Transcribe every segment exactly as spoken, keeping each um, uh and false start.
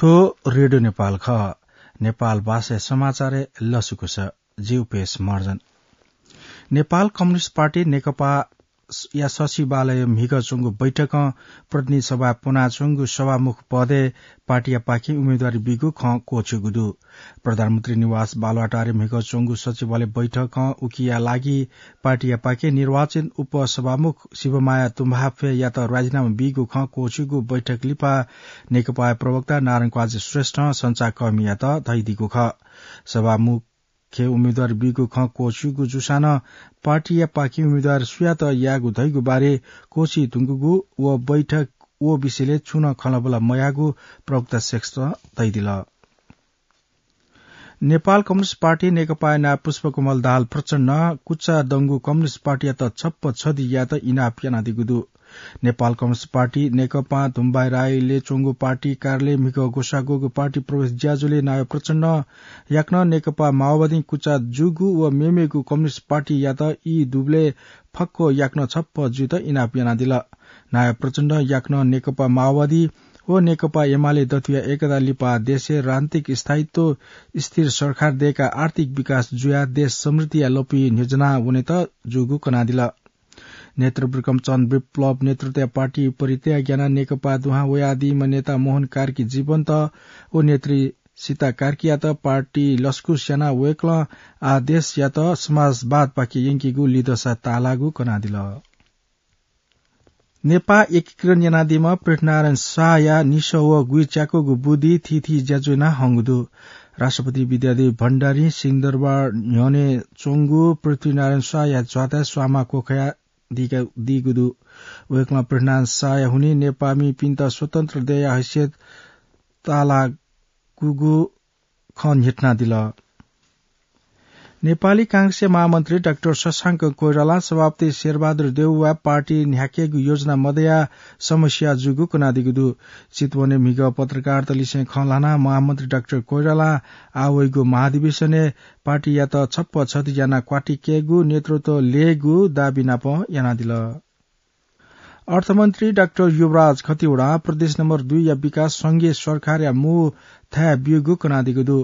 थ्व रेडियो नेपाल खः। नेपाल भाषाया समाचारय् लसकुस। जि उपेश महर्जन। नेपाल कम्युनिस्ट पार्टी नेकपा या सचिवालय म्हिगः च्वंगु बैठकं प्रतिनिधि सभाय् प्वनाच्वंगु सभामुख पदय् पार्टीयापाखें उम्मेदवारी बीगु खँ क्वःछिउगु दु। प्रधानमन्त्री निवास बालुवाटारय् म्हिगः च्वंगु सचिवालय बैठकं उकिया लागि पार्टीयापाखें निर्वाचित उपसभामुख शिवमाया तुम्भाफेयात राजिनामा बीगु खँ क्वःछिउगु बैठक लिपा नेकपाया प्रवक्ता नारायण क्वाजी श्रेष्ठं सञ्चारकर्मीयात धयादीगु खः। सभामुख उम्मेदवार बीगु खँ क्वःछिउगु जूसां नं पार्टीयापाखें उम्मेदवार सुयात यायेगु धइगु बारे क्वःछी धुंकूगु व बैठक व विषयलय् छुं नं खँल्हाबल्हा मयाःगु प्रवक्ता श्रेष्ठं धयादिल। नेपाल कम्युनिस्ट पार्टी नेकपाया नायः पुष्पकमल दाहाल प्रचण्डं कुचादंगु कम्युनिस्ट पार्टीयात छप्पा छधि यायेत इनाप यानादीगु दु। नेपाल कम्युनिस्ट पार्टी नेकपां धुम्बाइ राईलय् च्वंगु पार्टी कार्यालय म्हिगः ग्वसाः ग्वःगु पार्टी प्रवेश ज्याझ्वलय् नायः प्रचण्डं याकनं नेकपा माओवादीं कुचा जूगु व मेमेगु कम्युनिस्ट पार्टीयात ई दुबलय् फक्व याकनं छप्पा जुइत इनाप यानादिल। नायः प्रचण्डं याकनं नेकपा माओवादी व नेकपा एमाले दथुया एकता लिपा देशय् राजनीतिक स्थायित्व, स्थिर सरकार दय्काः आर्थिक विकास जुयाः देश समृद्धिया लँपुइ न्ह्यज्वना वनेत जूगु कनादिल। नेतृवृकं चन्द्र विप्लव नेतृत्वया पार्टी परित्याग यानाः नेकपा दुहां वयादीम्ह नेता मोहन कार्की जीवन्त व नेत्री सीता कार्कीयात पार्टी लसकुस यानाः वय्कलं आः देशयात समाजवादपाखे यंकीगु लिधंसा ताःलाःगु कनादिल। नेपाः एकीकरण यानादीम्ह पृथ्वीनारायण शाहया निसः व गुइच्याकूगु बुद्धि थीथी ज्याझ्वः याना हंगु दु। राष्ट्रपति विद्यादेवी भण्डारीं सिंहदरबार न्ह्यःने च्वंगु पृथ्वीनारायण शाहया च्वाताय् स्वांमा क्वखाया दीगु दु। वय्कलं पृथ्वीनारायण शाहया हुनिं नेपाःमिपिन्त स्वतन्त्र देय्या हैसियत ताःलाकूगु खँ न्ह्यथनादिल। नेपाली कांग्रेसया महामन्त्री डाक्टर शशांक कोइरालां सभापति शेरबहादुर देउवाया पार्टी न्ह्याकेगु योजना मदयाः समस्या जूगु कनादीगु दु। चितवनय् म्हिगः पत्रकारतलिसें खँ ल्हानाः महामन्त्री डाक्टर कोइरालां आः वइगु महाधिवेशनय् पार्टीयात छप्पा छधि यानाः क्वातिकेगु नेतृत्व ल्ययेगु दाबी नाप यानादिल। अर्थमन्त्री डाक्टर युवराज खतिवडां प्रदेश नम्बर दुईया विकास संघीय सरकारया मू थाय् ब्यूगु कनादीगु दु।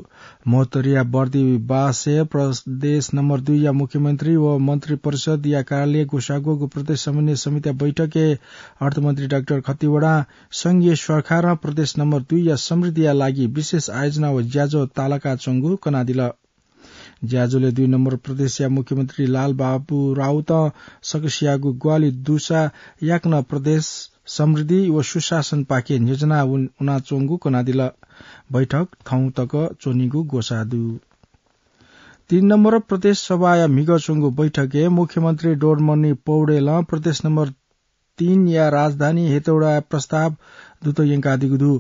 महोत्तरीया बर्दिवासय् प्रदेश नम्बर दुईया मुख्यमन्त्री व मन्त्री परिषदया कार्यालय ग्वसाः ग्वःगु प्रदेश समन्वय समितिया बैठकय् अर्थमन्त्री डाक्टर खतिवडां संघीय सरकारं प्रदेश नम्बर दुईया समृद्धिया लागि विशेष आयोजना व ज्याझ्वः ताःलाकाच्वंगु कनादिल। ज्याझ्वलय् दुई नम्बर प्रदेशया मुख्यमन्त्री लालबाबु राउतं सकसियागु ग्वाहालि दुसा याकनं प्रदेश समृद्धि व सुशासनपाखे न्ह्यज्वना वनाच्वंगु कनादिल। बैठक थौं तक च्वनीगु ग्वसाः दु। तीन नम्बर प्रदेश सभाया म्हिगः च्वंगु बैठकय् मुख्यमन्त्री डोमरमणि पौडेलं प्रदेश नम्बर तीनया राजधानी हेटौडाया प्रस्ताव दूत यंकादीगु दु।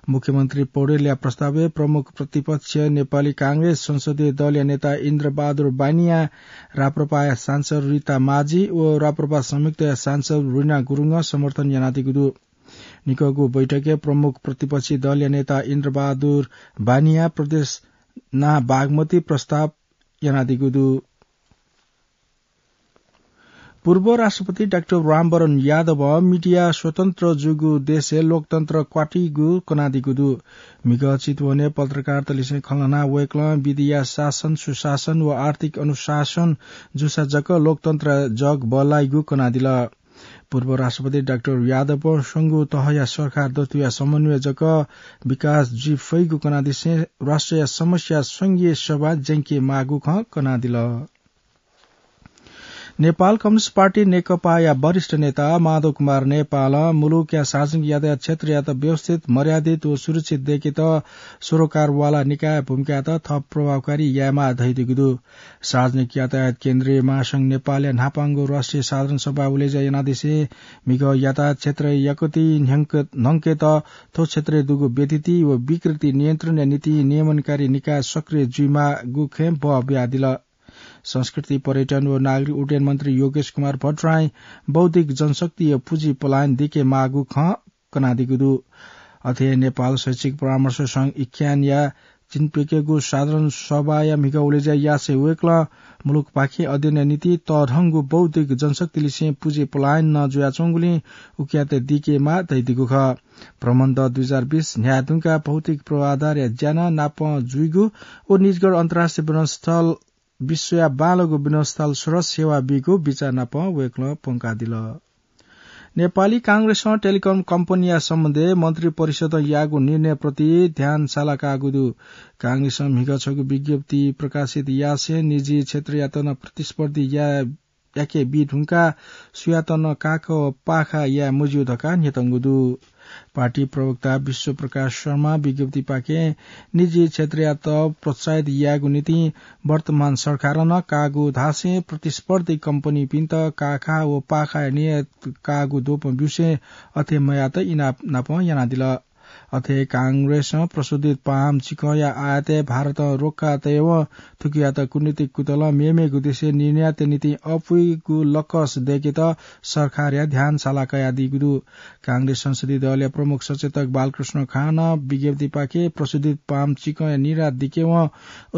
मुख्यमन्त्री पौडेलया प्रस्तावय् प्रमुख प्रतिपक्ष नेपाली कांग्रेस संसदीय दलया नेता इन्द्रबहादुर बानियां, राप्रपाया सांसद रिता माझी व राप्रपा संयुक्तया सांसद रिना गुरुङं समर्थन यानादीगु दु। निकःगु बैठकय् प्रमुख प्रतिपक्षी दलया नेता इन्द्रबहादुर बानियां प्रदेश नां बागमती प्रस्ताव यानादीगु दु। पूर्व राष्ट्रपति डाक्टर रामवरण यादवं मिडिया स्वतन्त्र जूगु देशय् लोकतन्त्र क्वातिगु कनादीगु दु। म्हिगः चितवनय् पत्रकारतलिसें खँ ल्हानाः वय्कलं विधिया शासन, सुशासन व आर्थिक अनुशासन जूसा जक लोकतन्त्र जग बल्लाइगु कनादिल। पूर्व राष्ट्रपति डाक्टर यादवं स्वंगू तहया सरकार दथुया समन्वय जक विकास जुइ फइगु कनादिसें राष्ट्रया समस्या संघीय सभाय् ज्यंके माःगु खँ कनादिल। नेपाल कम्युनिस्ट पार्टी नेकपाया वरिष्ठ नेता माधव कुमार नेपालं मुलुकया सार्वजनिक यातायात क्षेत्रयात व्यवस्थित, मर्यादित व सुरक्षित दय्केत सरोकारवाला निकायया भूमिकायात थप प्रभावकारी यायेमाः धयादीगु दु। सार्वजनिक यातायात केन्द्रीय महासंघ नेपालया न्हापांगु राष्ट्रिय साधारण सभा उलेज्या यानादिसें म्हिगः यातायात क्षेत्रय् यक्वति न्हंकेत थ्व क्षेत्रय् दुगु व्यथिति व विकृति नियन्त्रणया निंतिं नियमनकारी निकाय सक्रिय जुइमाःगु खँय् बः बियादिल। संस्कृति, पर्यटन व नागरिक उड्डयन मन्त्री योगेश कुमार भट्टराईं बौद्धिक जनशक्ति व पुँजी पलायन दिके माःगु खँ कनादीगु दु। अथे हे नेपाल शैक्षिक परामर्श संघ इक्यानया चिन्प्यकेगु साधारण सभाया म्हिगः उलेज्या यासें वय्कलं मुलुकपाखें अध्ययनया निंतिं तःधंगु बौद्धिक जनशक्तिलिसें पुँजी पलायन नं जुयाच्वंगुलिं उकियात दीकेमाः धयादीगु खः। भ्रमण दः दुई हजार बीस न्ह्याये धुंकाः भौतिक पूर्वाधारया ज्या नं नापं जुइगु व निजगढ अन्तर्राष्ट्रिय विमानस्थल विश्वया बांलाःगु विमानस्थल सरस सेवा बीगु बिचाः नापं वय्कलं प्वंकादिल। नेपाली कांग्रेसं टेलिकम कम्पनीया सम्बन्धय् मन्त्रिपरिषदं याःगु निर्णयप्रति ध्यान सालाकाःगु दु। कांग्रेसं म्हिगः छगू विज्ञप्ति प्रकाशित यासें निजी क्षेत्रयात नं प्रतिस्पर्धी या-, याके बी धुंकाः सुयात नं काख व पाखा याये मज्यू धकाः न्ह्यतंगु दु। पार्टी प्रवक्ता विश्वप्रकाश शर्मां विज्ञप्तिपाखें निजी क्षेत्रयात प्रोत्साहित यायेगु निंतिं वर्तमान सरकारं नं काःगु धासें प्रतिस्पर्धी कम्पनीपिन्त काखा व पाखाय् नियत काःगु द्वपं ब्यूसें अथे मयात इनाप नापं यानादिल। अथे कांग्रेसं प्रशोधित पाहां चिकंया आयातय् भारतं रोक्का तयेवं थुकियात कूटनीतिक कुतलं मेमेगु देशय् निर्यातया निंतिं अपुइगु लकस दय्केत सरकारया ध्यान सालाकादीगु दु। कांग्रेस संसदीय दलया प्रमुख सचेतक बालकृष्ण खानं विज्ञप्तिपाखें प्रशोधित पाहां चिकंया निर्यात दिकेवं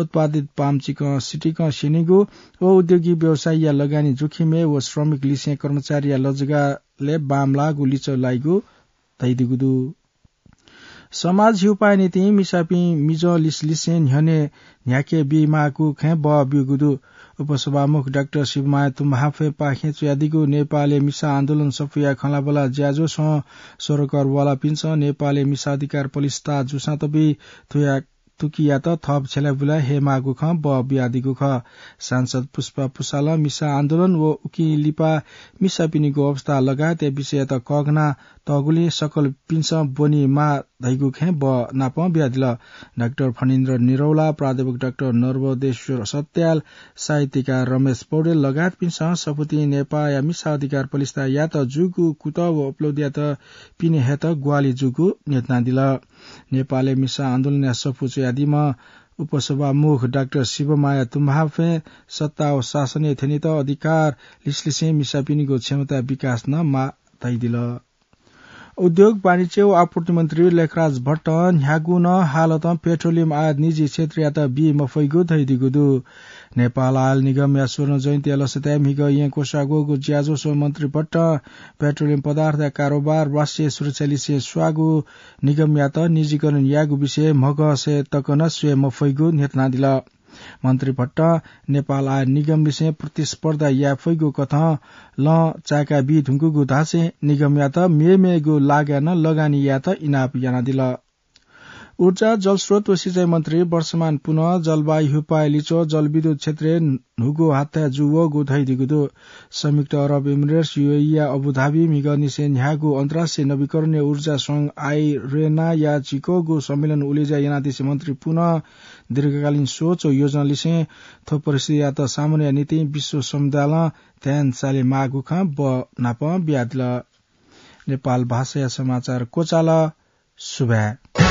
उत्पादित पाहां चिकं सितिकं स्यनीगु व उद्योगी व्यवसायीया लगानी जोखिमय् व श्रमिकलिसें कर्मचारीया लजगालय् बांमलाःगु लिच्वः लाइगु धयादीगु दु। समाज हिउपाःया निंतिं मिसापिं मिजं लिसलिसें न्ह्यःने न्ह्याके बीमाःगु खँय् बः ब्यूगु दु। उपसभामुख डाक्टर शिवमाया तुम्हाफेपाखें च्वयादीगु नेपालय् मिसा आन्दोलन सफूया खँल्हाबल्हा ज्याझ्वलय् स्वरोकर वालापिन्सं नेपालय् मिसा अधिकार पलिस्था जूसां तबि थुया तुकियात थप छ्यलाबुला हयेमाःगु खँ बः बियादीगु खः। सांसद पुष्पा पुसालं मिसा आन्दोलन व उकिं लिपा मिसापिनिगु अवस्था लगायतया विषययात कःघाना तःगुलिं सकलपिन्सं ब्वनीमाः धइगु खँय् बः नापं बियादिल। डाक्टर फणीन्द्र निरौला, प्राध्यापक डाक्टर नर्वदेश्वर सत्याल, साहित्यकार रमेश पौडेल लगायतपिन्सं सफुतिं नेपाःया मिसा अधिकार पलिस्था यात जूगु कुतः व उपलब्धियात पिने हयेत ग्वाहालि जूगु न्ह्यथनादिल। नेपालय् मिसा आन्दोलनया सफू च्वयादीम्ह उपसभामुख डाक्टर शिवमाया तुम्हाफें सत्ता व शासनय् थ्यनेत अधिकार लिसलिसें मिसापिनिगु क्षमता विकास नं माः धयादिल। उद्योग, वाणिज्य व आपूर्ति मन्त्री लेखराज भट्टं न्ह्यागु नं हालतं पेट्रोलियम आयात निजी क्षेत्रयात बी मफइगु धयादीगु दु। नेपाल आयल निगमया स्वर्ण जयन्तीया लसताय् म्हिगः येँ क्वसाः ग्वःगु ज्याझ्वलय् मन्त्री भट्टं पेट्रोलियम पदार्थया कारोबार राष्ट्रिय सुरक्षा लिसें स्वाःगु निगमयात निजीकरण यायेगु विषय म्हगसय् तक नं स्वये मफइगु न्ह्यथनादिल। मन्त्री भट्टं नेपाल आयल निगमलिसें प्रतिस्पर्धा याये फइगु कथं लँ चाय्का बी धुंकूगु धासें निगमयात मेमेगु लागाय् नं लगानी यायेत इनाप यानादिल। ऊर्जा, जलस्रोत व सिँचाइ मन्त्री वर्षमान पुनं जलवायु हिउपाःया लिच्वः जलविद्युत क्षेत्रय् न्हूगु हात्थाय् जू वःगु धयादीगु दु। संयुक्त अरब इमिरेट्स, युएईया अबुधाबी म्हिगःनिसें न्ह्याःगु अन्तर्राष्ट्रिय नवीकरणीय ऊर्जा संघ आइरेनाया झिक्वःगु सम्मेलन उलेज्या यानादिसें मन्त्री पुनं दीर्घकालीन सोच व योजनालिसें थ्व परिस्थितियात सामना यायेया निंतिं विश्व समुदायलं ध्यान सालेमाःगु खँ बः नापं बियादिल। नेपाल भाषाया समाचार क्वचाल। सुभाय्।